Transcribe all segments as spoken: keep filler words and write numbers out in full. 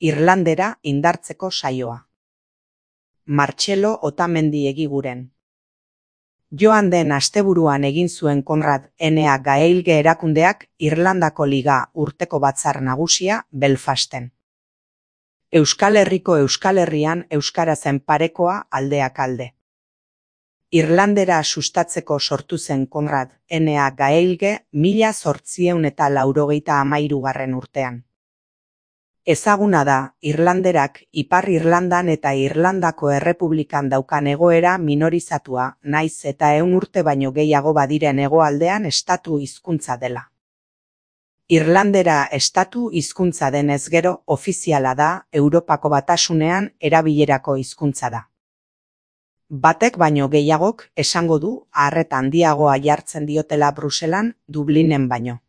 Irlandera indartzeko saioa. Martxelo Otamendi Egiguren. Joan den asteburuan egin zuen Konrad N A Gaeilge erakundeak Irlandako Liga urteko batzar nagusia Belfasten. Euskal Herriko Euskal Herrian euskarazen parekoa aldeak alde. Irlandera sustatzeko sortu zen Konrad N A Gaeilge mila zortziehun eta laurogeita hamairugarren urtean. Ezaguna da, Irlanderak Ipar Irlandan eta Irlandako Errepublikan daukan egoera minorizatua, naiz eta ehun urte baino gehiago badiren hegoaldean estatu hizkuntza dela. Irlandera estatu hizkuntza denez gero ofiziala da, Europako Batasunean erabilerako hizkuntza da. Batek baino gehiagok esango du arreta handiagoa jartzen diotela Bruselan, Dublinen baino.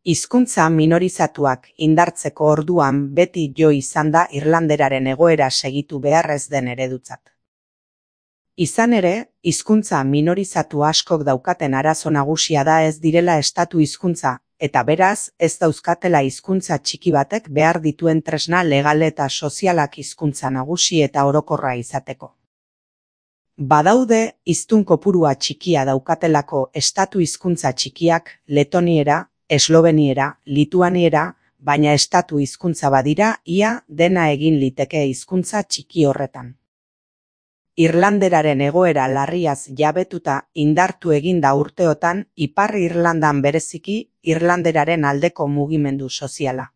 Hizkuntza minorizatuak indartzeko orduan beti jo izan da Irlanderaren egoera segitu beharrez den eredutzat. Izan ere, hizkuntza minorizatu askok daukaten arazo nagusia da ez direla estatu hizkuntza, eta beraz ez dauzkatela hizkuntza txiki batek behar dituen tresna legal eta sozialak hizkuntza nagusi eta orokorra izateko. Badaude hiztun kopurua txikia daukatelako estatu hizkuntza txikiak, letoniera, esloveniera, lituaniera, baina estatu hizkuntza badira ia dena egin liteke hizkuntza txiki horretan. Irlanderaren egoera larriaz jabetuta indartu egin da urteotan Ipar Irlandan bereziki Irlanderaren aldeko mugimendu soziala.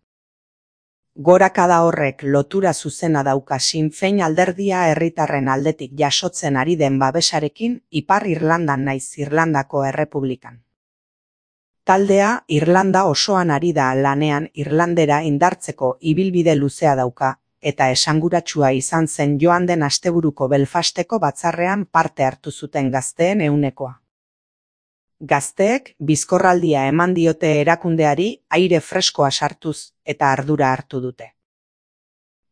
Gorakada horrek lotura zuzena dauka Sinn Féin alderdia herritarren aldetik jasotzen ari den babesarekin Ipar Irlandan naiz Irlandako Errepublikan. Taldea Irlanda osoan ari da lanean Irlandera indartzeko ibilbide luzea dauka, eta esanguratsua izan zen joan den asteburuko Belfasteko batzarrean parte hartu zuten gazteen ehunekoa. Gazteek bizkorraldia eman diote erakundeari aire freskoa sartuz eta ardura hartu dute.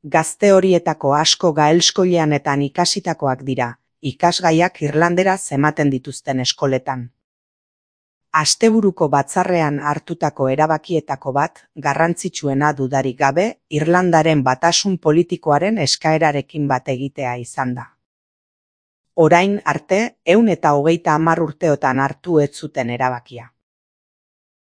Gazte horietako asko gaelskoileanetan ikasitakoak dira, ikasgaiak irlanderaz ematen dituzten eskoletan. Asteburuko batzarrean hartutako erabakietako bat, garrantzitsuena dudarik gabe, Irlandaren batasun politikoaren eskaerarekin bat egitea izan da. Orain arte, ehun eta hogeita hamar urteotan hartu ez zuten erabakia.